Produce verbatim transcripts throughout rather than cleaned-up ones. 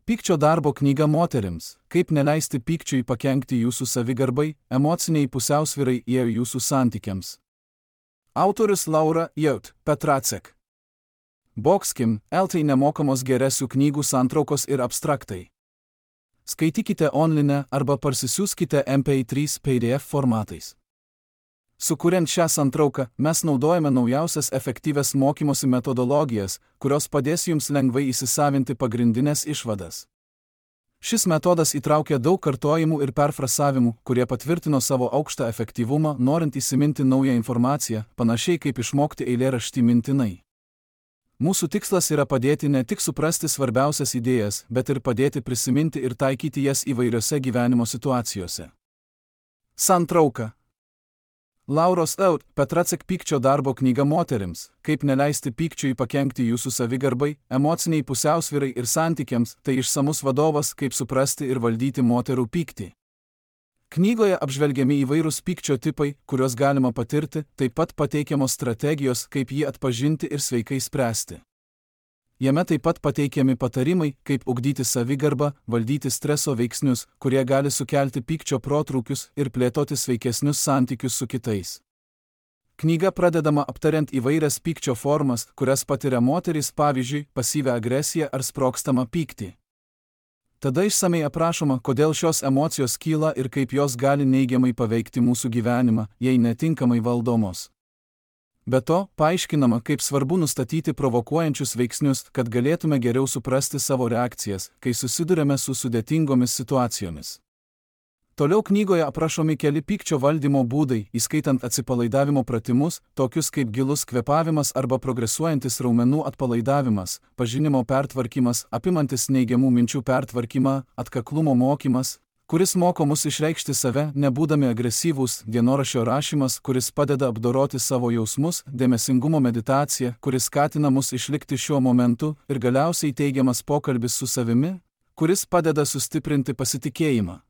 Pykčio darbo knyga moterims. Kaip neleisti pykčiui pakenkti jūsų savigarbai, emociniai pusiausvyrai ir jūsų santykiams. Autorius Laura Jaut Petracek. Boxkim, eltai nemokamos geresių knygų santraukos ir abstraktai. Skaitykite online arba parsisiųskite M P trys P D F formatais. Sukuriant šią santrauką, mes naudojame naujausias efektyvias mokymosi metodologijas, kurios padės jums lengvai įsisavinti pagrindinės išvadas. Šis metodas įtraukia daug kartojimų ir perfrasavimų, kurie patvirtino savo aukštą efektyvumą, norint įsiminti naują informaciją, panašiai kaip išmokti eilėraštį mintinai. Mūsų tikslas yra padėti ne tik suprasti svarbiausias idėjas, bet ir padėti prisiminti ir taikyti jas įvairiose gyvenimo situacijose. Santrauka. Lauros Jaut Petracek pykčio darbo knyga moterims. Kaip neleisti pykčiui pakenkti jūsų savigarbai, emociniai pusiausvyrai ir santykiams, tai išsamus vadovas, kaip suprasti ir valdyti moterų pyktį. Knygoje apžvelgiami įvairūs pykčio tipai, kuriuos galima patirti, taip pat pateikiamos strategijos, kaip jį atpažinti ir sveikai spręsti. Jame taip pat pateikiami patarimai, kaip ugdyti savigarbą, valdyti streso veiksnius, kurie gali sukelti pykčio protrūkius ir plėtoti sveikesnius santykius su kitais. Knyga pradedama aptariant įvairias pykčio formas, kurias patiria moterys, pavyzdžiui, pasyvią agresiją ar sprogstamą pyktį. Tada išsamei aprašoma, kodėl šios emocijos kyla ir kaip jos gali neigiamai paveikti mūsų gyvenimą, jei netinkamai valdomos. Be to, paaiškinama, kaip svarbu nustatyti provokuojančius veiksnius, kad galėtume geriau suprasti savo reakcijas, kai susidurėme su sudėtingomis situacijomis. Toliau knygoje aprašomi keli pykčio valdymo būdai, įskaitant atsipalaidavimo pratimus, tokius kaip gilus kvėpavimas arba progresuojantis raumenų atpalaidavimas, pažinimo pertvarkymas, apimantis neigiamų minčių pertvarkymą, atkaklumo mokymas, kuris moko mus išreikšti save, nebūdami agresyvūs, dienoraščio rašymas, kuris padeda apdoroti savo jausmus, dėmesingumo meditacija, kuris skatina mus išlikti šiuo momentu, ir galiausiai teigiamas pokalbis su savimi, kuris padeda sustiprinti pasitikėjimą.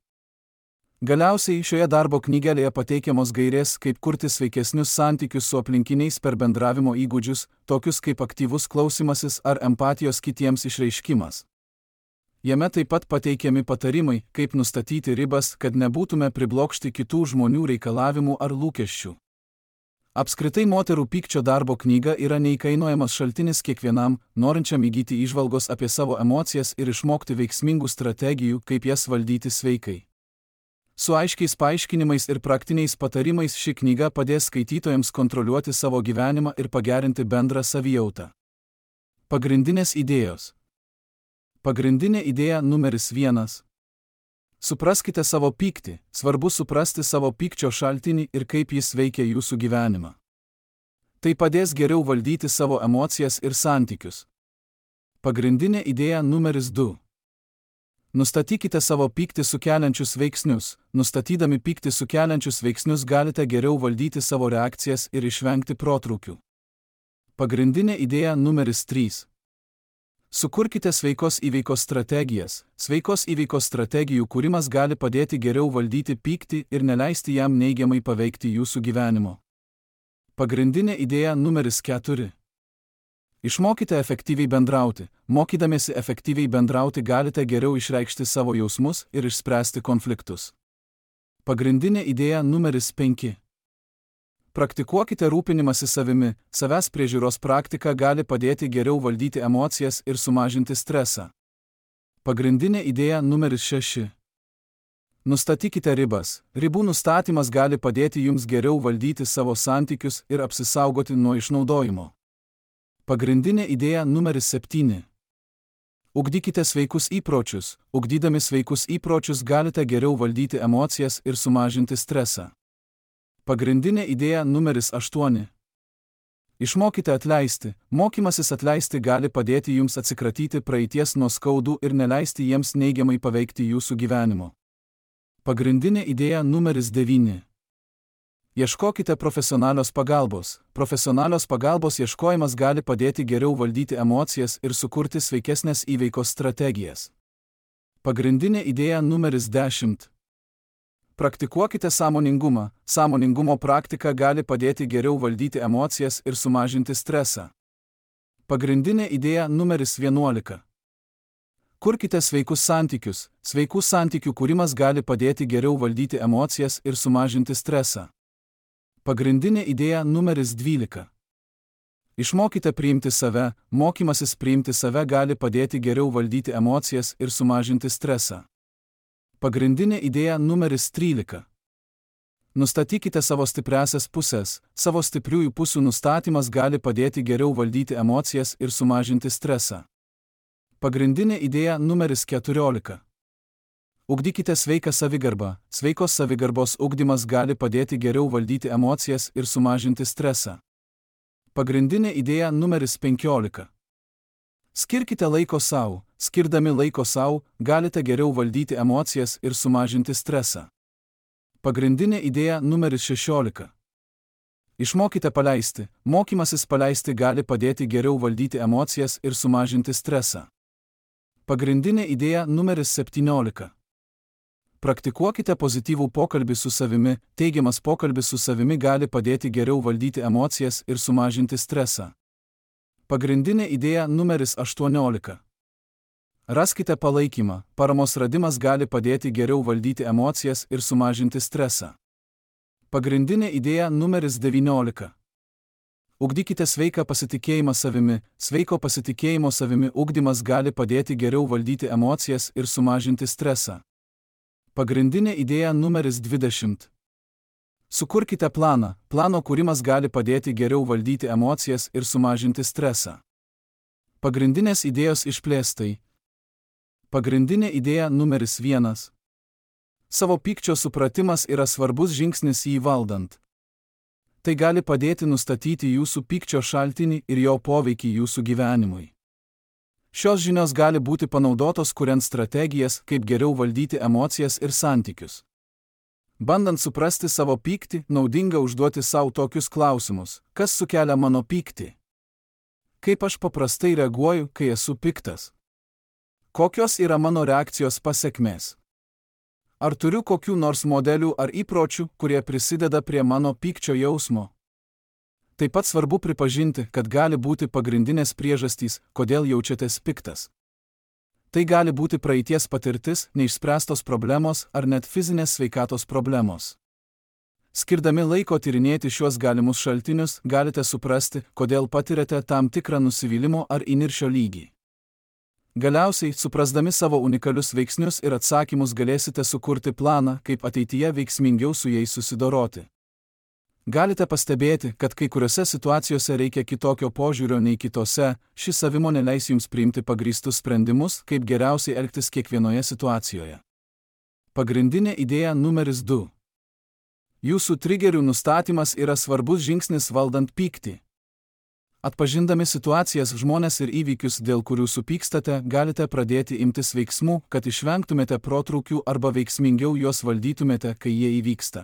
Galiausiai šioje darbo knygelėje pateikiamos gairės, kaip kurti sveikesnius santykius su aplinkiniais per bendravimo įgūdžius, tokius kaip aktyvus klausymasis ar empatijos kitiems išreiškimas. Jame taip pat pateikiami patarimai, kaip nustatyti ribas, kad nebūtume priblokšti kitų žmonių reikalavimų ar lūkesčių. Apskritai moterų pykčio darbo knyga yra neįkainojamas šaltinis kiekvienam, norinčiam įgyti įžvalgos apie savo emocijas ir išmokti veiksmingų strategijų, kaip jas valdyti sveikai. Su aiškiais paaiškinimais ir praktiniais patarimais ši knyga padės skaitytojams kontroliuoti savo gyvenimą ir pagerinti bendrą savijautą. Pagrindinės idėjos. Pagrindinė idėja numeris vienas. Supraskite savo pyktį, svarbu suprasti savo pykčio šaltinį ir kaip jis veikia jūsų gyvenimą. Tai padės geriau valdyti savo emocijas ir santykius. Pagrindinė idėja numeris du. Nustatykite savo pyktį sukeliančius veiksnius. Nustatydami pyktį sukeliančius veiksnius galite geriau valdyti savo reakcijas ir išvengti protrūkių. Pagrindinė idėja numeris trys. Sukurkite sveikos įveikos strategijas. Sveikos įveikos strategijų kūrimas gali padėti geriau valdyti pyktį ir neleisti jam neigiamai paveikti jūsų gyvenimo. Pagrindinė idėja numeris keturi. Išmokite efektyviai bendrauti. Mokydamiesi efektyviai bendrauti galite geriau išreikšti savo jausmus ir išspręsti konfliktus. Pagrindinė idėja numeris penki. Praktikuokite rūpinimąsi savimi. Savęs priežiūros praktika gali padėti geriau valdyti emocijas ir sumažinti stresą. Pagrindinė idėja numeris šeši. Nustatykite ribas. Ribų nustatymas gali padėti jums geriau valdyti savo santykius ir apsisaugoti nuo išnaudojimo. Pagrindinė idėja numeris septyni. Ugdykite sveikus įpročius. Ugdydami sveikus įpročius galite geriau valdyti emocijas ir sumažinti stresą. Pagrindinė idėja numeris aštuoni. Išmokite atleisti. Mokymasis atleisti gali padėti jums atsikratyti praeities nuoskaudų ir neleisti jiems neigiamai paveikti jūsų gyvenimo. Pagrindinė idėja numeris devyni. Ieškokite profesionalios pagalbos. Profesionalios pagalbos ieškojimas gali padėti geriau valdyti emocijas ir sukurti sveikesnės įveikos strategijas. Pagrindinė idėja numeris dešimt. Praktikuokite sąmoningumą. Sąmoningumo praktika gali padėti geriau valdyti emocijas ir sumažinti stresą. Pagrindinė idėja numeris vienuolika. Sukurkite sveikus santykius. Sveikų santykių kūrimas gali padėti geriau valdyti emocijas ir sumažinti stresą. Pagrindinė idėja numeris dvylika. Išmokite priimti save. Mokymasis priimti save gali padėti geriau valdyti emocijas ir sumažinti stresą. Pagrindinė idėja numeris trylika. Nustatykite savo stipriąsias pusės. Savo stipriųjų pusių nustatymas gali padėti geriau valdyti emocijas ir sumažinti stresą. Pagrindinė idėja numeris keturiolika. Ugdykite sveiką savigarbą. Sveikos savigarbos ugdymas gali padėti geriau valdyti emocijas ir sumažinti stresą. Pagrindinė idėja numeris penkiolika. Skirkite laiko sau. Skirdami laiko sau, galite geriau valdyti emocijas ir sumažinti stresą. Pagrindinė idėja numeris šešiolika. Išmokite paleisti. Mokymasis paleisti gali padėti geriau valdyti emocijas ir sumažinti stresą. Pagrindinė idėja numeris septyniolika. Praktikuokite pozityvų pokalbį su savimi. Teigiamas pokalbis su savimi gali padėti geriau valdyti emocijas ir sumažinti stresą. Pagrindinė idėja numeris aštuoniolika. Raskite palaikymą. Paramos radimas gali padėti geriau valdyti emocijas ir sumažinti stresą. Pagrindinė idėja numeris devyniolika. Ugdykite sveiką pasitikėjimą savimi. Sveiko pasitikėjimo savimi ugdymas gali padėti geriau valdyti emocijas ir sumažinti stresą. Pagrindinė idėja numeris dvidešimt. Sukurkite planą. Plano kūrimas gali padėti geriau valdyti emocijas ir sumažinti stresą. Pagrindinės idėjos išplėstai. Pagrindinė idėja numeris vienas. Savo pykčio supratimas yra svarbus žingsnis jį valdant. Tai gali padėti nustatyti jūsų pykčio šaltinį ir jo poveikį jūsų gyvenimui. Šios žinios gali būti panaudotos kuriant strategijas, kaip geriau valdyti emocijas ir santykius. Bandant suprasti savo pyktį, naudinga užduoti savo tokius klausimus. Kas sukelia mano pyktį? Kaip aš paprastai reaguoju, kai esu piktas? Kokios yra mano reakcijos pasekmės? Ar turiu kokių nors modelių ar įpročių, kurie prisideda prie mano pykčio jausmo? Taip pat svarbu pripažinti, kad gali būti pagrindinės priežastys, kodėl jaučiatės piktas. Tai gali būti praeities patirtis, neišspręstos problemos ar net fizinės sveikatos problemos. Skirdami laiko tyrinėti šiuos galimus šaltinius, galite suprasti, kodėl patiriate tam tikrą nusivylimo ar įniršio lygį. Galiausiai, suprasdami savo unikalius veiksnius ir atsakymus galėsite sukurti planą, kaip ateityje veiksmingiau su jais susidoroti. Galite pastebėti, kad kai kuriuose situacijose reikia kitokio požiūrio nei kitose, ši savimonė leis jums priimti pagrįstus sprendimus, kaip geriausiai elgtis kiekvienoje situacijoje. Pagrindinė idėja numeris du. Jūsų trigerių nustatymas yra svarbus žingsnis valdant pyktį. Atpažindami situacijas, žmones ir įvykius, dėl kurių supykstate, galite pradėti imtis veiksmų, kad išvengtumėte protrūkių arba veiksmingiau juos valdytumėte, kai jie įvyksta.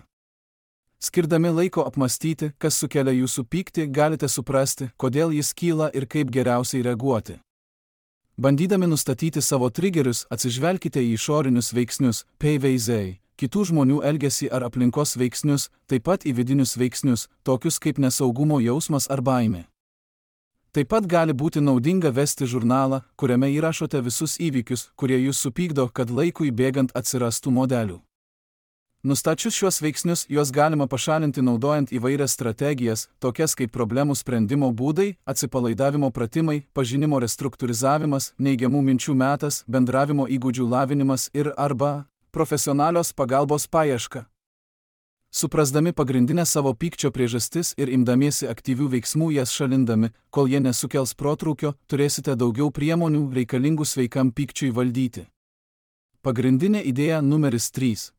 Skirdami laiko apmastyti, kas sukelia jūsų pyktį, galite suprasti, kodėl jis kyla ir kaip geriausiai reaguoti. Bandydami nustatyti savo trigerius, atsižvelkite į išorinius veiksnius, P V Z, kitų žmonių elgesį ar aplinkos veiksnius, taip pat į vidinius veiksnius, tokius kaip nesaugumo jausmas ar baimė. Taip pat gali būti naudinga vesti žurnalą, kuriame įrašote visus įvykius, kurie jūs supykdo, kad laikui bėgant atsirastų modelių. Nustačius šiuos veiksnius, juos galima pašalinti naudojant įvairias strategijas, tokias kaip problemų sprendimo būdai, atsipalaidavimo pratimai, pažinimo restruktūrizavimas, neigiamų minčių metas, bendravimo įgūdžių lavinimas ir arba profesionalios pagalbos paieška. Suprasdami pagrindinę savo pykčio priežastis ir imdamiesi aktyvių veiksmų jas šalindami, kol jie nesukels protrūkio, turėsite daugiau priemonių reikalingų sveikam pykčiui valdyti. Pagrindinė idėja numeris trys.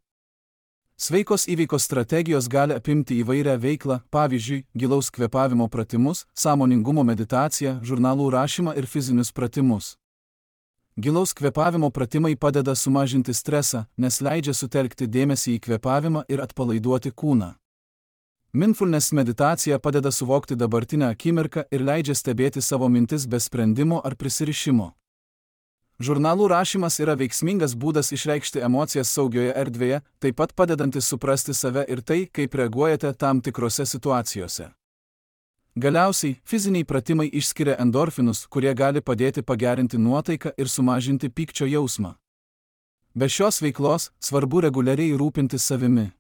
Sveikos įveikos strategijos gali apimti įvairią veiklą, pavyzdžiui, gilaus kvėpavimo pratimus, sąmoningumo meditaciją, žurnalų rašymą ir fizinius pratimus. Gilaus kvėpavimo pratimai padeda sumažinti stresą, nes leidžia sutelkti dėmesį į kvėpavimą ir atpalaiduoti kūną. Mindfulness meditacija padeda suvokti dabartinę akimirką ir leidžia stebėti savo mintis be sprendimo ar prisirišimo. Žurnalų rašymas yra veiksmingas būdas išreikšti emocijas saugioje erdvėje, taip pat padedantis suprasti save ir tai, kaip reaguojate tam tikrose situacijose. Galiausiai, fiziniai pratimai išskiria endorfinus, kurie gali padėti pagerinti nuotaiką ir sumažinti pykčio jausmą. Be šios veiklos svarbu reguliariai rūpintis savimi.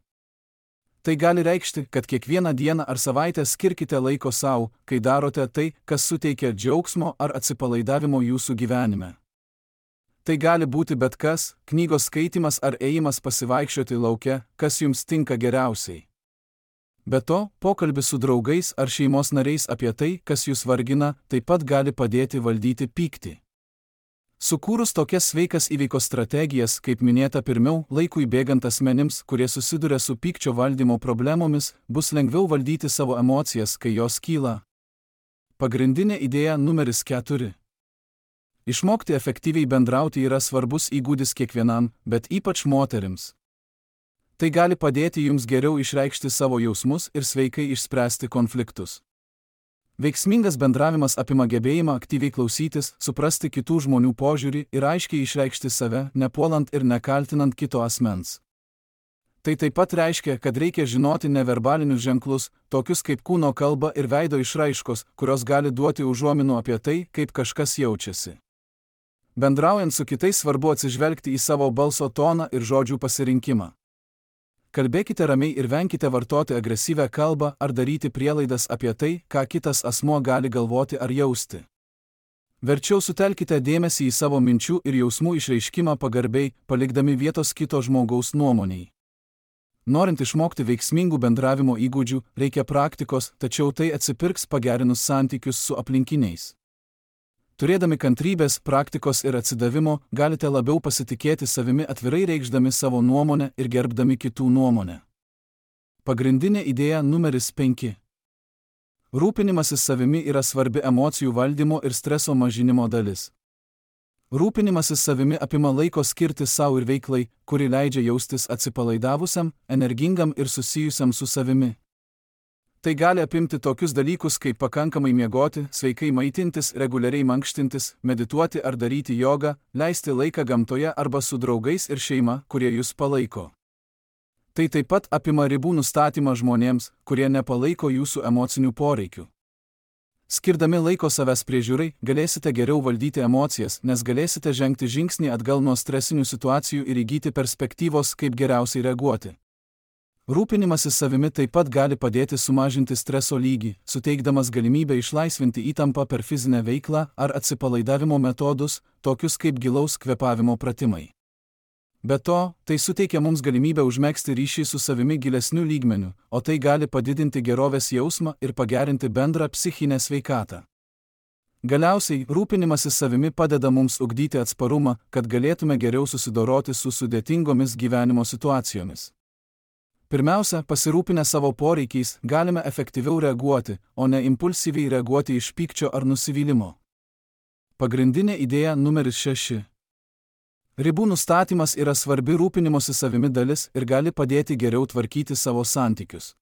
Tai gali reikšti, kad kiekvieną dieną ar savaitę skirkite laiko sau, kai darote tai, kas suteikia džiaugsmo ar atsipalaidavimo jūsų gyvenime. Tai gali būti bet kas, knygos skaitymas ar ėjimas pasivaikščioti lauke, kas jums tinka geriausiai. Be to, pokalbis su draugais ar šeimos nariais apie tai, kas jūs vargina, taip pat gali padėti valdyti pyktį. Sukūrus tokias sveikas įveikos strategijas, kaip minėta pirmiau, laikui bėgant asmenims, kurie susiduria su pykčio valdymo problemomis, bus lengviau valdyti savo emocijas, kai jos kyla. Pagrindinė idėja numeris keturi. Išmokti efektyviai bendrauti yra svarbus įgūdis kiekvienam, bet ypač moterims. Tai gali padėti jums geriau išreikšti savo jausmus ir sveikai išspręsti konfliktus. Veiksmingas bendravimas apima gebėjimą aktyviai klausytis, suprasti kitų žmonių požiūrį ir aiškiai išreikšti save, nepuolant ir nekaltinant kito asmens. Tai taip pat reiškia, kad reikia žinoti neverbalinius ženklus, tokius kaip kūno kalba ir veido išraiškos, kurios gali duoti užuominų apie tai, kaip kažkas jaučiasi. Bendraujant su kitais svarbu atsižvelgti į savo balso toną ir žodžių pasirinkimą. Kalbėkite ramiai ir venkite vartoti agresyvią kalbą ar daryti prielaidas apie tai, ką kitas asmuo gali galvoti ar jausti. Verčiau sutelkite dėmesį į savo minčių ir jausmų išreiškimą pagarbiai, palikdami vietos kito žmogaus nuomoniai. Norint išmokti veiksmingų bendravimo įgūdžių, reikia praktikos, tačiau tai atsipirks pagerinus santykius su aplinkiniais. Turėdami kantrybės, praktikos ir atsidavimo, galite labiau pasitikėti savimi atvirai reikšdami savo nuomonę ir gerbdami kitų nuomonę. Pagrindinė idėja numeris penki. Rūpinimasis savimi yra svarbi emocijų valdymo ir streso mažinimo dalis. Rūpinimasis savimi apima laiko skirti savo ir veiklai, kuri leidžia jaustis atsipalaidavusiam, energingam ir susijusiam su savimi. Tai gali apimti tokius dalykus kaip pakankamai miegoti, sveikai maitintis, reguliariai mankštintis, medituoti ar daryti jogą, leisti laiką gamtoje arba su draugais ir šeima, kurie jūs palaiko. Tai taip pat apima ribų nustatymą žmonėms, kurie nepalaiko jūsų emocinių poreikių. Skirdami laiko savęs priežiūrai, galėsite geriau valdyti emocijas, nes galėsite žengti žingsnį atgal nuo stresinių situacijų ir įgyti perspektyvos, kaip geriausiai reaguoti. Rūpinimasis savimi taip pat gali padėti sumažinti streso lygį, suteikdamas galimybę išlaisvinti įtampą per fizinę veiklą ar atsipalaidavimo metodus, tokius kaip gilaus kvėpavimo pratimai. Be to, tai suteikia mums galimybę užmegzti ryšį su savimi gilesniu lygmeniu, o tai gali padidinti gerovės jausmą ir pagerinti bendrą psichinę sveikatą. Galiausiai, rūpinimasis savimi padeda mums ugdyti atsparumą, kad galėtume geriau susidoroti su sudėtingomis gyvenimo situacijomis. Pirmiausia, pasirūpinę savo poreikiais, galime efektyviau reaguoti, o ne impulsyviai reaguoti iš pykčio ar nusivylimo. Pagrindinė idėja numeris šeši. Ribų nustatymas yra svarbi rūpinimosi savimi dalis ir gali padėti geriau tvarkyti savo santykius.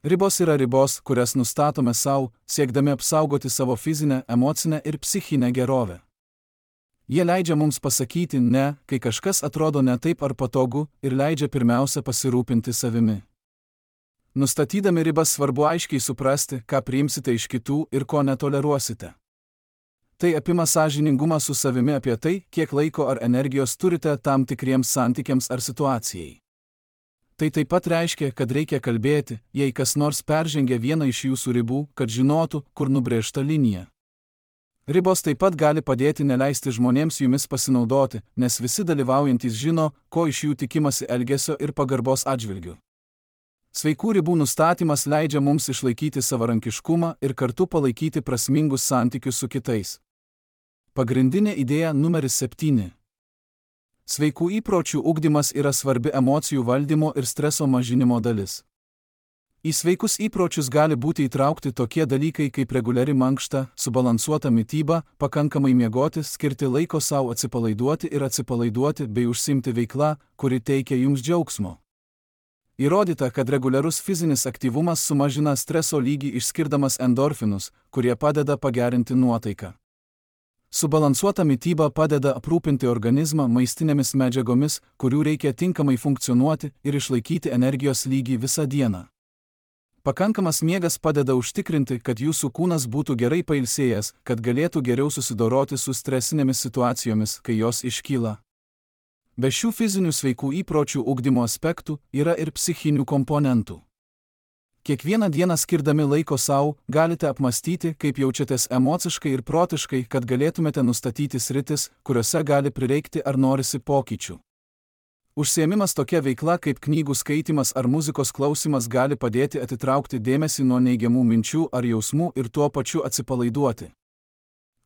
Ribos yra ribos, kurias nustatome savo, siekdami apsaugoti savo fizinę, emocinę ir psichinę gerovę. Jie leidžia mums pasakyti ne, kai kažkas atrodo ne taip ar patogu, ir leidžia pirmiausia pasirūpinti savimi. Nustatydami ribas svarbu aiškiai suprasti, ką priimsite iš kitų ir ko netoleruosite. Tai apima sąžiningumą su savimi apie tai, kiek laiko ar energijos turite tam tikriems santykiams ar situacijai. Tai taip pat reiškia, kad reikia kalbėti, jei kas nors peržengia vieną iš jūsų ribų, kad žinotų, kur nubrėžta linija. Ribos taip pat gali padėti neleisti žmonėms jumis pasinaudoti, nes visi dalyvaujantys žino, ko iš jų tikimasi elgesio ir pagarbos atžvilgiu. Sveikų ribų nustatymas leidžia mums išlaikyti savarankiškumą ir kartu palaikyti prasmingus santykius su kitais. Pagrindinė idėja numeris septyni. Sveikų įpročių ugdymas yra svarbi emocijų valdymo ir streso mažinimo dalis. Į sveikus įpročius gali būti įtraukti tokie dalykai kaip reguliari mankšta, subalansuota mityba, pakankamai miegoti, skirti laiko savo atsipalaiduoti ir atsipalaiduoti bei užsiimti veiklą, kuri teikia jums džiaugsmo. Įrodyta, kad reguliarus fizinis aktyvumas sumažina streso lygį išskirdamas endorfinus, kurie padeda pagerinti nuotaiką. Subalansuota mityba padeda aprūpinti organizmą maistinėmis medžiagomis, kurių reikia tinkamai funkcionuoti ir išlaikyti energijos lygį visą dieną. Pakankamas miegas padeda užtikrinti, kad jūsų kūnas būtų gerai pailsėjęs, kad galėtų geriau susidoroti su stresinėmis situacijomis, kai jos iškyla. Be šių fizinių sveikų įpročių ugdymo aspektų yra ir psichinių komponentų. Kiekvieną dieną skirdami laiko savo, galite apmastyti, kaip jaučiatės emociškai ir protiškai, kad galėtumėte nustatyti sritis, kuriuose gali prireikti ar norisi pokyčių. Užsiėmimas tokia veikla kaip knygų skaitymas ar muzikos klausimas gali padėti atitraukti dėmesį nuo neigiamų minčių ar jausmų ir tuo pačiu atsipalaiduoti.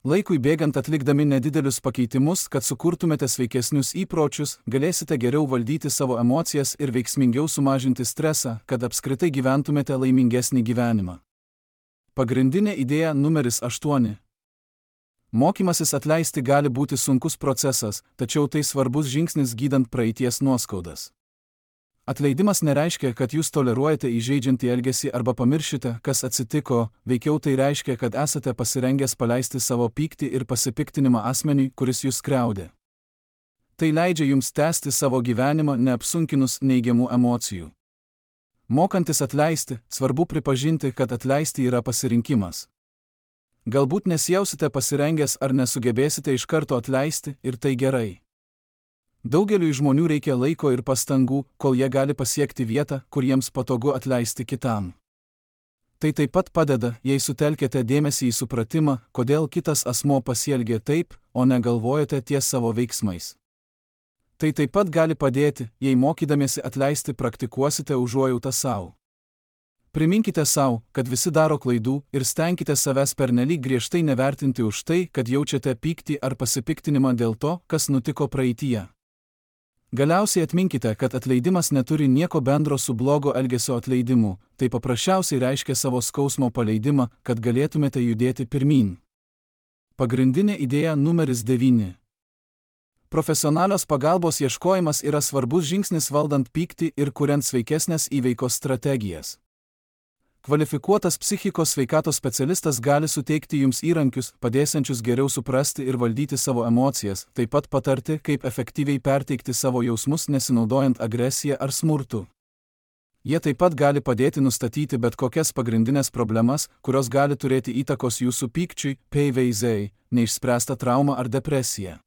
Laikui bėgant atlikdami nedidelius pakeitimus, kad sukurtumėte sveikesnius įpročius, galėsite geriau valdyti savo emocijas ir veiksmingiau sumažinti stresą, kad apskritai gyventumėte laimingesnį gyvenimą. Pagrindinė idėja numeris aštuoni. Mokymasis atleisti gali būti sunkus procesas, tačiau tai svarbus žingsnis gydant praeities nuoskaudas. Atleidimas nereiškia, kad jūs toleruojate įžeidžiantį elgesį arba pamiršite, kas atsitiko, veikiau tai reiškia, kad esate pasirengęs paleisti savo pyktį ir pasipiktinimą asmeniui, kuris jūs skriaudė. Tai leidžia jums tęsti savo gyvenimą neapsunkinus neigiamų emocijų. Mokantis atleisti, svarbu pripažinti, kad atleisti yra pasirinkimas. Galbūt nesijausite pasirengęs ar nesugebėsite iš karto atleisti, ir tai gerai. Daugeliui žmonių reikia laiko ir pastangų, kol jie gali pasiekti vietą, kur jiems patogu atleisti kitam. Tai taip pat padeda, jei sutelkėte dėmesį į supratimą, kodėl kitas asmuo pasielgė taip, o negalvojate ties savo veiksmais. Tai taip pat gali padėti, jei mokydamiesi atleisti praktikuosite užuojautą savo. Priminkite savo, kad visi daro klaidų ir stenkite savęs pernelyg griežtai nevertinti už tai, kad jaučiate pyktį ar pasipiktinimą dėl to, kas nutiko praeityje. Galiausiai atminkite, kad atleidimas neturi nieko bendro su blogo elgesio atleidimu, tai paprasčiausiai reiškia savo skausmo paleidimą, kad galėtumėte judėti pirmyn. Pagrindinė idėja numeris devyni. Profesionalios pagalbos ieškojimas yra svarbus žingsnis valdant pyktį ir kuriant sveikesnės įveikos strategijas. Kvalifikuotas psichikos sveikatos specialistas gali suteikti jums įrankius, padėsiančius geriau suprasti ir valdyti savo emocijas, taip pat patarti, kaip efektyviai perteikti savo jausmus nesinaudojant agresiją ar smurtu. Jie taip pat gali padėti nustatyti bet kokias pagrindinės problemas, kurios gali turėti įtakos jūsų pykčiui, P V Z, neišspręstą traumą ar depresiją.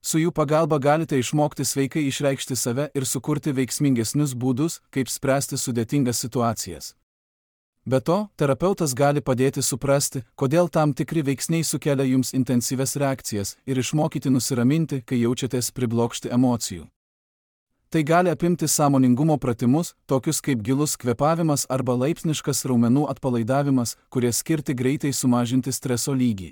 Su jų pagalba galite išmokti sveikai išreikšti save ir sukurti veiksmingesnius būdus, kaip spręsti sudėtingas situacijas. Be to, terapeutas gali padėti suprasti, kodėl tam tikri veiksniai sukelia jums intensyves reakcijas ir išmokyti nusiraminti, kai jaučiatės priblokšti emocijų. Tai gali apimti sąmoningumo pratimus, tokius kaip gilus kvėpavimas arba laipsniškas raumenų atpalaidavimas, kurie skirti greitai sumažinti streso lygį.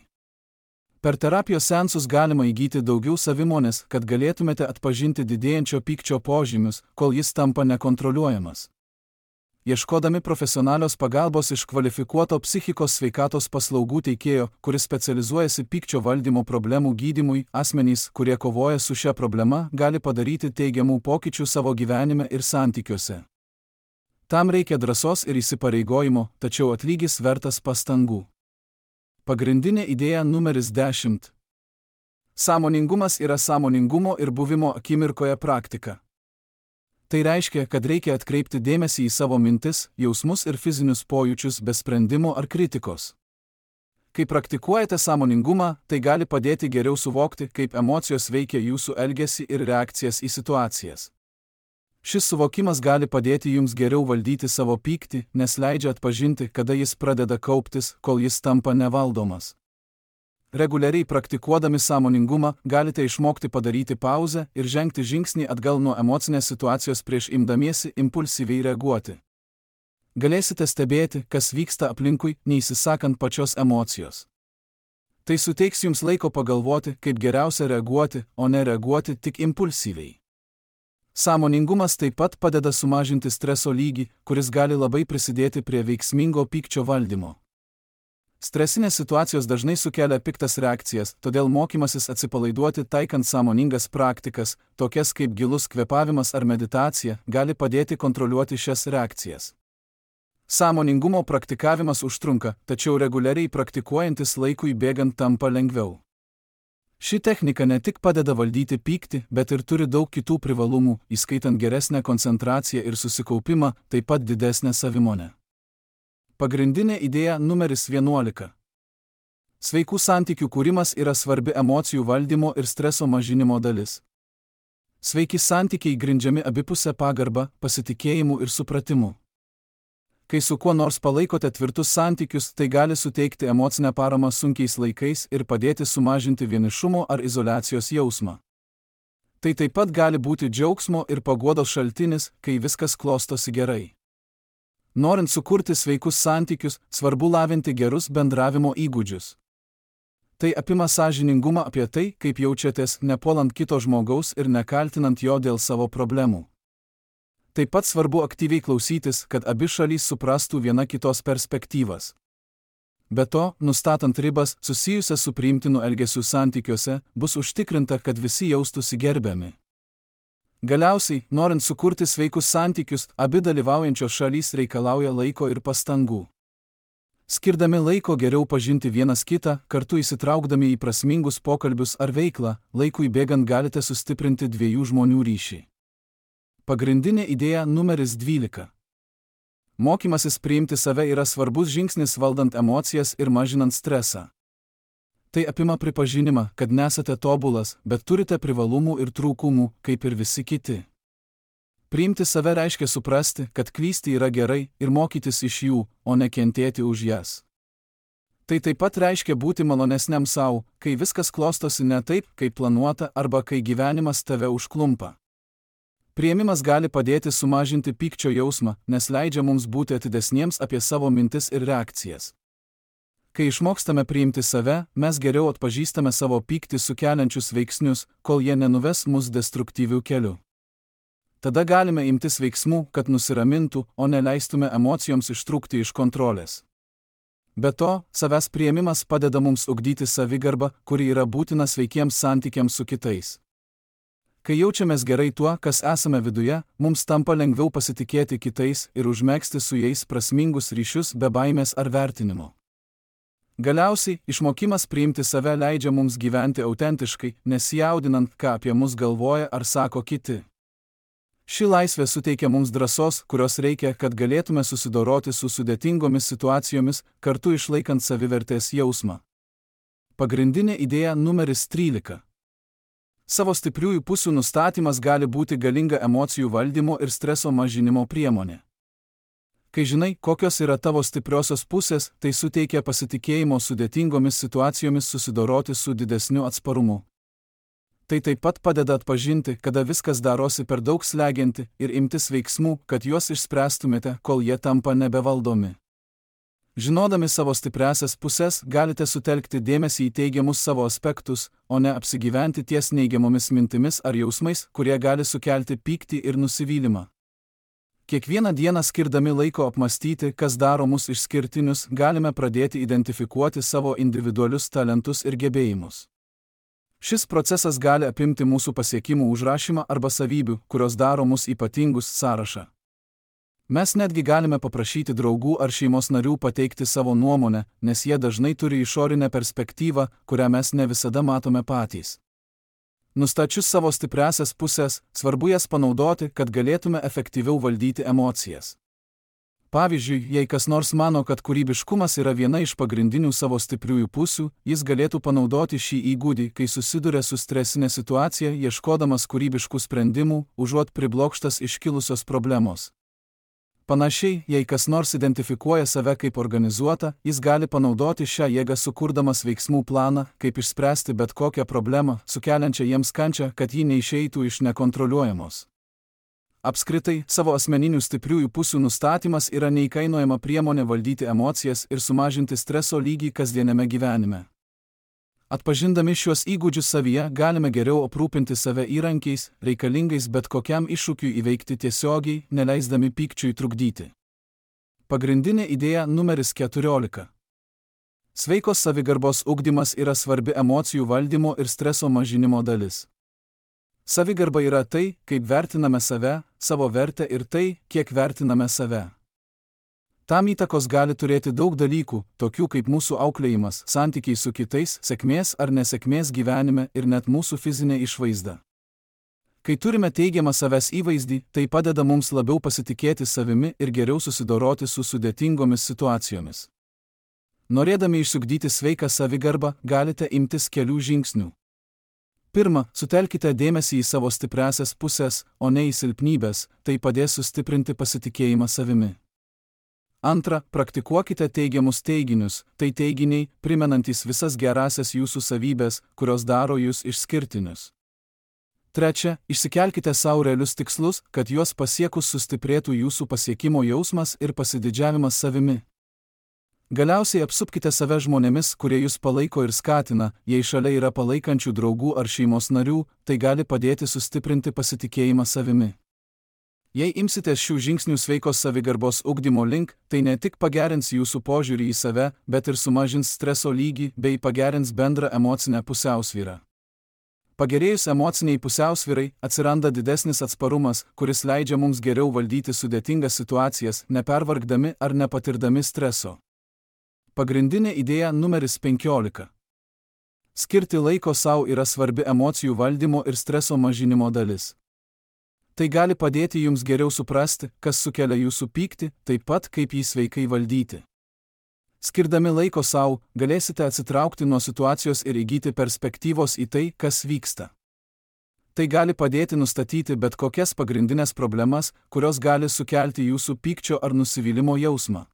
Per terapijos seansus galima įgyti daugiau savimonės, kad galėtumėte atpažinti didėjančio pykčio požymius, kol jis tampa nekontroliuojamas. Ieškodami profesionalios pagalbos iš kvalifikuoto psichikos sveikatos paslaugų teikėjo, kuris specializuojasi pykčio valdymo problemų gydymui, asmenys, kurie kovoja su šia problema, gali padaryti teigiamų pokyčių savo gyvenime ir santykiuose. Tam reikia drąsos ir įsipareigojimo, tačiau atlygis vertas pastangų. Pagrindinė idėja numeris dešimt. Sąmoningumas yra sąmoningumo ir buvimo akimirkoje praktika. Tai reiškia, kad reikia atkreipti dėmesį į savo mintis, jausmus ir fizinius pojūčius be sprendimo ar kritikos. Kai praktikuojate sąmoningumą, tai gali padėti geriau suvokti, kaip emocijos veikia jūsų elgesį ir reakcijas į situacijas. Šis suvokimas gali padėti jums geriau valdyti savo pyktį, nes leidžia atpažinti, kada jis pradeda kauptis, kol jis tampa nevaldomas. Reguliariai praktikuodami sąmoningumą galite išmokti padaryti pauzę ir žengti žingsnį atgal nuo emocinės situacijos prieš imdamiesi impulsyviai reaguoti. Galėsite stebėti, kas vyksta aplinkui, neįsisakant pačios emocijos. Tai suteiks jums laiko pagalvoti, kaip geriausia reaguoti, o ne reaguoti tik impulsyviai. Sąmoningumas taip pat padeda sumažinti streso lygį, kuris gali labai prisidėti prie veiksmingo pykčio valdymo. Stresinės situacijos dažnai sukelia piktas reakcijas, todėl mokymasis atsipalaiduoti taikant sąmoningas praktikas, tokias kaip gilus kvėpavimas ar meditacija, gali padėti kontroliuoti šias reakcijas. Sąmoningumo praktikavimas užtrunka, tačiau reguliariai praktikuojantis laikui bėgant tampa lengviau. Ši technika ne tik padeda valdyti pyktį, bet ir turi daug kitų privalumų, įskaitant geresnę koncentraciją ir susikaupimą, taip pat didesnę savimonę. Pagrindinė idėja numeris vienuolika. Sveikų santykių kūrimas yra svarbi emocijų valdymo ir streso mažinimo dalis. Sveiki santykiai grindžiami abipusę pagarbą, pasitikėjimu ir supratimu. Kai su kuo nors palaikote tvirtus santykius, tai gali suteikti emocinę paramą sunkiais laikais ir padėti sumažinti vienišumo ar izoliacijos jausmą. Tai taip pat gali būti džiaugsmo ir paguodos šaltinis, kai viskas klostosi gerai. Norint sukurti sveikus santykius, svarbu lavinti gerus bendravimo įgūdžius. Tai apima sąžiningumą apie tai, kaip jaučiatės, nepuolant kito žmogaus ir nekaltinant jo dėl savo problemų. Taip pat svarbu aktyviai klausytis, kad abi šalys suprastų viena kitos perspektyvas. Be to, nustatant ribas susijusias su priimtinu elgesiu santykiuose, bus užtikrinta, kad visi jaustųsi gerbiami. Galiausiai, norint sukurti sveikus santykius, abi dalyvaujančios šalys reikalauja laiko ir pastangų. Skirdami laiko geriau pažinti vienas kitą, kartu įsitraukdami į prasmingus pokalbius ar veiklą, laikui bėgant galite sustiprinti dviejų žmonių ryšį. Pagrindinė idėja numeris dvylika. Mokymasis priimti save yra svarbus žingsnis valdant emocijas ir mažinant stresą. Tai apima pripažinimą, kad nesate tobulas, bet turite privalumų ir trūkumų, kaip ir visi kiti. Priimti save reiškia suprasti, kad klysti yra gerai ir mokytis iš jų, o ne kentėti už jas. Tai taip pat reiškia būti malonesniam sau, kai viskas klostosi ne taip, kaip planuota, arba kai gyvenimas tave užklumpa. Priėmimas gali padėti sumažinti pykčio jausmą, nes leidžia mums būti atidesniems apie savo mintis ir reakcijas. Kai išmokstame priimti save, mes geriau atpažįstame savo pyktį sukeliančius veiksnius, kol jie nenuves mus destruktyvių kelių. Tada galime imtis veiksmų, kad nusiramintų, o neleistume emocijoms ištrūkti iš kontrolės. Be to, savęs priėmimas padeda mums ugdyti savigarbą, kuri yra būtina sveikiems santykiams su kitais. Kai jaučiamės gerai tuo, kas esame viduje, mums tampa lengviau pasitikėti kitais ir užmegzti su jais prasmingus ryšius be baimės ar vertinimo. Galiausiai, išmokimas priimti save leidžia mums gyventi autentiškai, nesijaudinant, ką apie mus galvoja ar sako kiti. Ši laisvė suteikia mums drąsos, kurios reikia, kad galėtume susidoroti su sudėtingomis situacijomis, kartu išlaikant savivertės jausmą. Pagrindinė idėja numeris trylika. Savo stipriųjų pusių nustatymas gali būti galinga emocijų valdymo ir streso mažinimo priemonė. Kai žinai, kokios yra tavo stipriosios pusės, tai suteikia pasitikėjimo sudėtingomis situacijomis susidoroti su didesniu atsparumu. Tai taip pat padeda atpažinti, kada viskas darosi per daug slegianti ir imtis veiksmų, kad juos išspręstumėte, kol jie tampa nebevaldomi. Žinodami savo stipriasias pusės, galite sutelkti dėmesį į teigiamus savo aspektus, o ne apsigyventi ties neigiamomis mintimis ar jausmais, kurie gali sukelti pyktį ir nusivylimą. Kiekvieną dieną skirdami laiko apmastyti, kas daro mus išskirtinius, galime pradėti identifikuoti savo individualius talentus ir gebėjimus. Šis procesas gali apimti mūsų pasiekimų užrašymą arba savybių, kurios daro mus ypatingus sąrašą. Mes netgi galime paprašyti draugų ar šeimos narių pateikti savo nuomonę, nes jie dažnai turi išorinę perspektyvą, kurią mes ne visada matome patys. Nustačius savo stipriasias pusės, svarbu jas panaudoti, kad galėtume efektyviau valdyti emocijas. Pavyzdžiui, jei kas nors mano, kad kūrybiškumas yra viena iš pagrindinių savo stipriųjų pusių, jis galėtų panaudoti šį įgūdį, kai susiduria su stresinė situacija, ieškodamas kūrybiškų sprendimų, užuot priblokštas iškilusios problemos. Panašiai, jei kas nors identifikuoja save kaip organizuotą, jis gali panaudoti šią jėgą sukurdamas veiksmų planą, kaip išspręsti bet kokią problemą, sukeliančią jiems kančią, kad ji neišeitų iš nekontroliuojamos. Apskritai, savo asmeninių stipriųjų pusių nustatymas yra neįkainojama priemonė valdyti emocijas ir sumažinti streso lygį kasdieniame gyvenime. Atpažindami šiuos įgūdžius savyje, galime geriau aprūpinti save įrankiais, reikalingais bet kokiam iššūkiui įveikti tiesiogiai, neleisdami pykčiui trukdyti. Pagrindinė idėja numeris keturiolika. Sveikos savigarbos ugdymas yra svarbi emocijų valdymo ir streso mažinimo dalis. Savigarba yra tai, kaip vertiname save, savo vertę ir tai, kiek vertiname save. Tam įtakos gali turėti daug dalykų, tokių kaip mūsų auklėjimas, santykiai su kitais, sėkmės ar nesėkmės gyvenime ir net mūsų fizinė išvaizda. Kai turime teigiamą savęs įvaizdį, tai padeda mums labiau pasitikėti savimi ir geriau susidoroti su sudėtingomis situacijomis. Norėdami išsiugdyti sveiką savigarbą, galite imtis kelių žingsnių. Pirma, sutelkite dėmesį į savo stipriąsias pusės, o ne į silpnybės, tai padės sustiprinti pasitikėjimą savimi. Antra, praktikuokite teigiamus teiginius, tai teiginiai, primenantys visas gerąsias jūsų savybės, kurios daro jūs išskirtinius. Trečia, išsikelkite savo realius tikslus, kad juos pasiekus sustiprėtų jūsų pasiekimo jausmas ir pasididžiavimas savimi. Galiausiai apsupkite save žmonėmis, kurie jūs palaiko ir skatina, jei šalia yra palaikančių draugų ar šeimos narių, tai gali padėti sustiprinti pasitikėjimą savimi. Jei imsitės šių žingsnių sveikos savigarbos ugdymo link, tai ne tik pagerins jūsų požiūrį į save, bet ir sumažins streso lygį bei pagerins bendrą emocinę pusiausvyrą. Pagerėjus emociniai pusiausvyrai, atsiranda didesnis atsparumas, kuris leidžia mums geriau valdyti sudėtingas situacijas, nepervargdami ar nepatirdami streso. Pagrindinė idėja numeris penkiolika. Skirti laiko sau yra svarbi emocijų valdymo ir streso mažinimo dalis. Tai gali padėti jums geriau suprasti, kas sukelia jūsų pyktį, taip pat kaip jį sveikai valdyti. Skirdami laiko sau, galėsite atsitraukti nuo situacijos ir įgyti perspektyvos į tai, kas vyksta. Tai gali padėti nustatyti bet kokias pagrindinės problemas, kurios gali sukelti jūsų pykčio ar nusivylimo jausmą.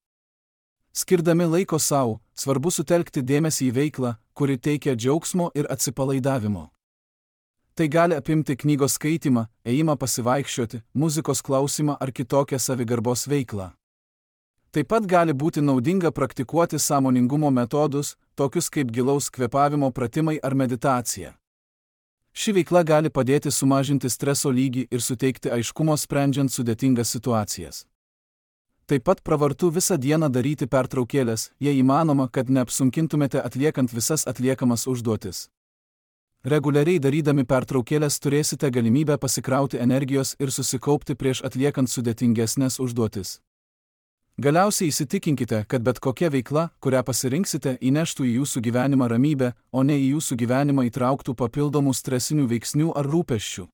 Skirdami laiko sau, svarbu sutelkti dėmesį į veiklą, kuri teikia džiaugsmo ir atsipalaidavimo. Tai gali apimti knygos skaitymą, ėjimą pasivaikščioti, muzikos klausymą ar kitokią savigarbos veiklą. Taip pat gali būti naudinga praktikuoti sąmoningumo metodus, tokius kaip gilaus kvėpavimo pratimai ar meditacija. Ši veikla gali padėti sumažinti streso lygį ir suteikti aiškumo sprendžiant sudėtingas situacijas. Taip pat pravartu visą dieną daryti pertraukėlės, jei įmanoma, kad neapsunkintumėte atliekant visas atliekamas užduotis. Reguliariai darydami pertraukėlės turėsite galimybę pasikrauti energijos ir susikaupti prieš atliekant sudėtingesnės užduotis. Galiausiai įsitikinkite, kad bet kokia veikla, kurią pasirinksite, įneštų į jūsų gyvenimą ramybę, o ne į jūsų gyvenimą įtrauktų papildomų stresinių veiksnių ar rūpesčių.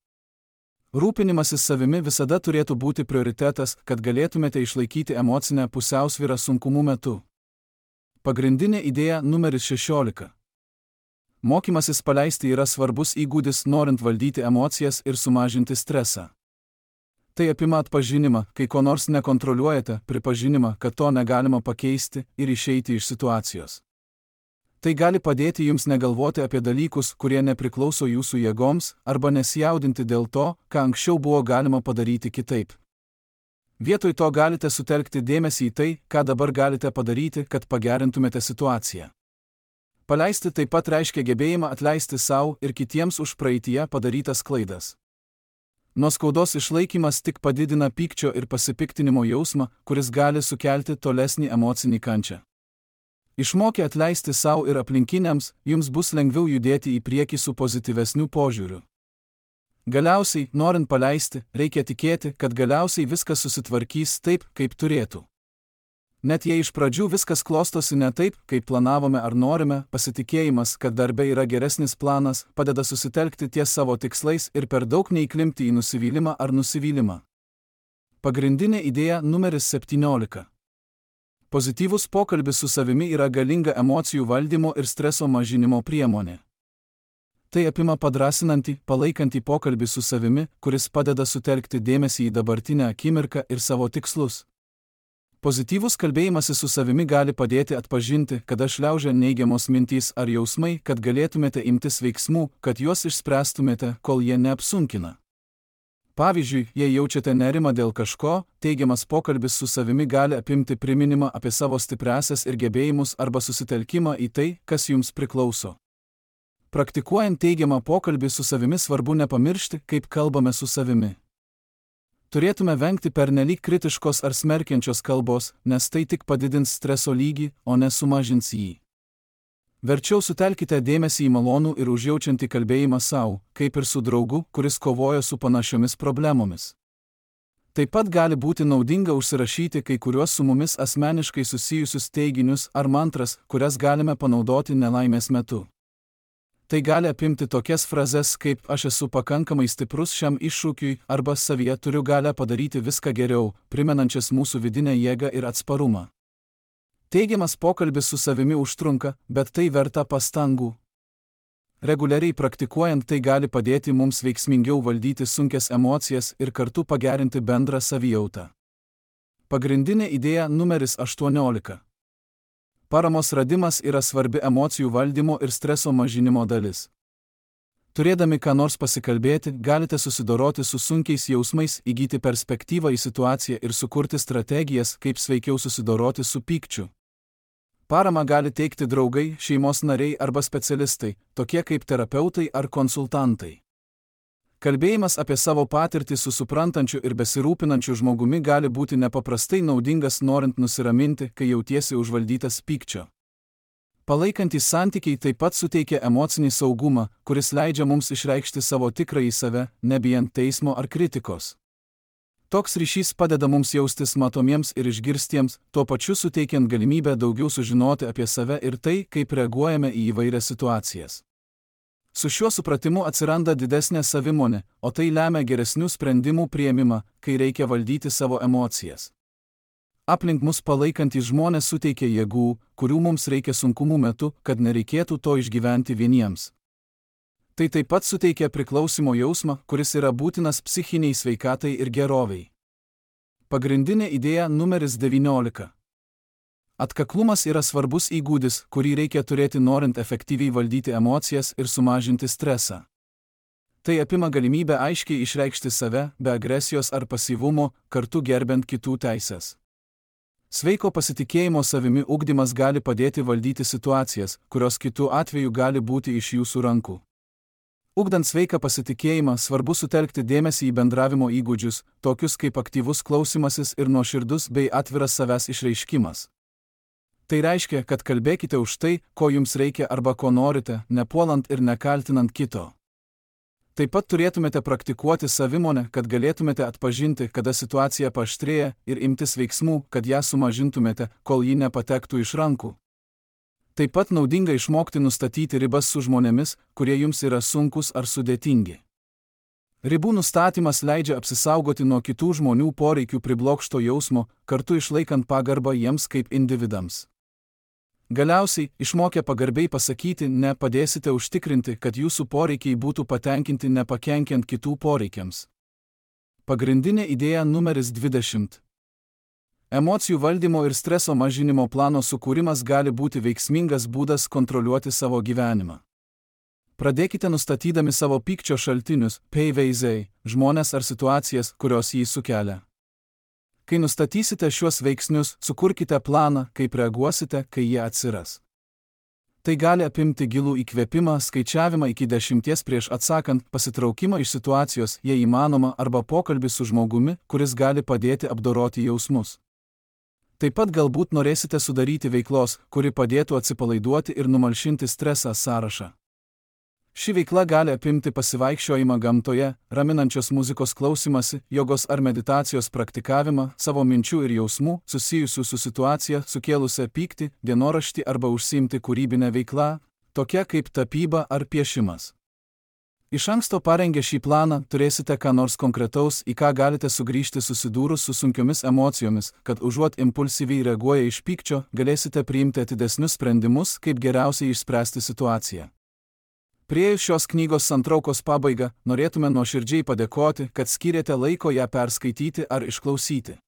Rūpinimasis savimi visada turėtų būti prioritetas, kad galėtumėte išlaikyti emocinę pusiausvyrą sunkumų metu. Pagrindinė idėja numeris šešiolika. Mokymasis paleisti yra svarbus įgūdis, norint valdyti emocijas ir sumažinti stresą. Tai apima atpažinimą, kai ko nors nekontroliuojate, pripažinimą, kad to negalima pakeisti ir išeiti iš situacijos. Tai gali padėti jums negalvoti apie dalykus, kurie nepriklauso jūsų jėgoms, arba nesijaudinti dėl to, ką anksčiau buvo galima padaryti kitaip. Vietoj to galite sutelkti dėmesį į tai, ką dabar galite padaryti, kad pagerintumėte situaciją. Paleisti taip pat reiškia gebėjimą atleisti sau ir kitiems už praeityje padarytas klaidas. Nuo skaudos išlaikymas tik padidina pykčio ir pasipiktinimo jausmą, kuris gali sukelti tolesnį emocinį kančią. Išmokę atleisti sau ir aplinkiniams, jums bus lengviau judėti į priekį su pozityvesniu požiūriu. Galiausiai, norint paleisti, reikia tikėti, kad galiausiai viskas susitvarkys taip, kaip turėtų. Net jei iš pradžių viskas klostosi ne taip, kaip planavome ar norime, pasitikėjimas, kad darbe yra geresnis planas, padeda susitelkti ties savo tikslais ir per daug neįklimpti į nusivylimą ar nusivylimą. Pagrindinė idėja numeris septyniolika. Pozityvus pokalbis su savimi yra galinga emocijų valdymo ir streso mažinimo priemonė. Tai apima padrasinantį, palaikantį pokalbį su savimi, kuris padeda sutelkti dėmesį į dabartinę akimirką ir savo tikslus. Pozityvus kalbėjimasis su savimi gali padėti atpažinti, kada šliaužia neigiamos mintys ar jausmai, kad galėtumėte imtis veiksmų, kad juos išspręstumėte, kol jie neapsunkina. Pavyzdžiui, jei jaučiate nerimą dėl kažko, teigiamas pokalbis su savimi gali apimti priminimą apie savo stipriąsias ir gebėjimus arba susitelkimą į tai, kas jums priklauso. Praktikuojant teigiamą pokalbį su savimi svarbu nepamiršti, kaip kalbame su savimi. Turėtume vengti pernelyg kritiškos ar smerkiančios kalbos, nes tai tik padidins streso lygį, o ne sumažins jį. Verčiau sutelkite dėmesį į malonų ir užjaučiantį kalbėjimą savo, kaip ir su draugu, kuris kovoja su panašiomis problemomis. Taip pat gali būti naudinga užsirašyti kai kuriuos su mumis asmeniškai susijusius teiginius ar mantras, kurias galime panaudoti nelaimės metu. Tai gali apimti tokias frazes kaip aš esu pakankamai stiprus šiam iššūkiui arba savyje turiu galę padaryti viską geriau, primenančias mūsų vidinę jėgą ir atsparumą. Teigiamas pokalbis su savimi užtrunka, bet tai verta pastangų. Reguliariai praktikuojant tai gali padėti mums veiksmingiau valdyti sunkias emocijas ir kartu pagerinti bendrą savijautą. Pagrindinė idėja numeris aštuoniolika. Paramos radimas yra svarbi emocijų valdymo ir streso mažinimo dalis. Turėdami ką nors pasikalbėti, galite susidoroti su sunkiais jausmais, įgyti perspektyvą į situaciją ir sukurti strategijas, kaip sveikiau susidoroti su pykčiu. Paramą gali teikti draugai, šeimos nariai arba specialistai, tokie kaip terapeutai ar konsultantai. Kalbėjimas apie savo patirtį su suprantančiu ir besirūpinančiu žmogumi gali būti nepaprastai naudingas norint nusiraminti, kai jautiesi užvaldytas pykčio. Palaikantys santykiai taip pat suteikia emocinį saugumą, kuris leidžia mums išreikšti savo tikrąjį save, nebijant teismo ar kritikos. Toks ryšys padeda mums jaustis matomiems ir išgirstiems, tuo pačiu suteikiant galimybę daugiau sužinoti apie save ir tai, kaip reaguojame į įvairias situacijas. Su šiuo supratimu atsiranda didesnė savimonė, o tai lemia geresnių sprendimų priėmimą, kai reikia valdyti savo emocijas. Aplink mus palaikantys žmonės suteikia jėgų, kurių mums reikia sunkumų metu, kad nereikėtų to išgyventi vieniems. Tai taip pat suteikia priklausimo jausmą, kuris yra būtinas psichiniai sveikatai ir geroviai. Pagrindinė idėja numeris devyniolika. Atkaklumas yra svarbus įgūdis, kurį reikia turėti norint efektyviai valdyti emocijas ir sumažinti stresą. Tai apima galimybę aiškiai išreikšti save, be agresijos ar pasyvumo, kartu gerbent kitų teises. Sveiko pasitikėjimo savimi ugdymas gali padėti valdyti situacijas, kurios kitų atveju gali būti iš jūsų rankų. Ugdant sveiką pasitikėjimą, svarbu sutelkti dėmesį į bendravimo įgūdžius, tokius kaip aktyvus klausimasis ir nuoširdus bei atviras savęs išreiškimas. Tai reiškia, kad kalbėkite už tai, ko jums reikia arba ko norite, nepuolant ir nekaltinant kito. Taip pat turėtumėte praktikuoti savimonę, kad galėtumėte atpažinti, kada situacija paaštrėja ir imtis veiksmų, kad ją sumažintumėte, kol ji nepatektų iš rankų. Taip pat naudinga išmokti nustatyti ribas su žmonėmis, kurie jums yra sunkus ar sudėtingi. Ribų nustatymas leidžia apsisaugoti nuo kitų žmonių poreikių priblokšto jausmo, kartu išlaikant pagarbą jiems kaip individams. Galiausiai, išmokę pagarbiai pasakyti ne, padėsite užtikrinti, kad jūsų poreikiai būtų patenkinti nepakenkiant kitų poreikiams. Pagrindinė idėja numeris dvidešimt. Emocijų valdymo ir streso mažinimo plano sukūrimas gali būti veiksmingas būdas kontroliuoti savo gyvenimą. Pradėkite nustatydami savo pykčio šaltinius, pavyzdžiai, žmonės ar situacijas, kurios jį sukelia. Kai nustatysite šiuos veiksnius, sukurkite planą, kaip reaguosite, kai jie atsiras. Tai gali apimti gilų įkvėpimą, skaičiavimą iki dešimties prieš atsakant, pasitraukimą iš situacijos, jei įmanoma, arba pokalbį su žmogumi, kuris gali padėti apdoroti jausmus. Taip pat galbūt norėsite sudaryti veiklos, kuri padėtų atsipalaiduoti ir numalšinti stresą sąrašą. Ši veikla gali apimti pasivaikščiojimą gamtoje, raminančios muzikos klausimąsi, jogos ar meditacijos praktikavimą, savo minčių ir jausmų, susijusių su situacija, sukėlusią pyktį, dienoraštį arba užsiimti kūrybinę veiklą, tokia kaip tapyba ar piešimas. Iš anksto parengę šį planą, turėsite ką nors konkretaus, į ką galite sugrįžti susidūrus su sunkiomis emocijomis, kad užuot impulsyviai reaguoja iš pykčio, galėsite priimti atidesnius sprendimus, kaip geriausiai išspręsti situaciją. Priėjus šios knygos santraukos pabaigą, norėtume nuoširdžiai padėkoti, kad skyrėte laiko ją perskaityti ar išklausyti.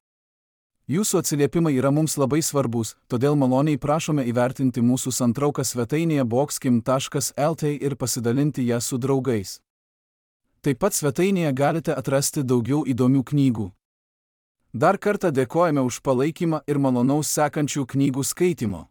Jūsų atsiliepimai yra mums labai svarbus, todėl maloniai prašome įvertinti mūsų santrauką svetainėje boxkim taškas lt ir pasidalinti ją su draugais. Taip pat svetainėje galite atrasti daugiau įdomių knygų. Dar kartą dėkojame už palaikymą ir malonaus sekančių knygų skaitimo.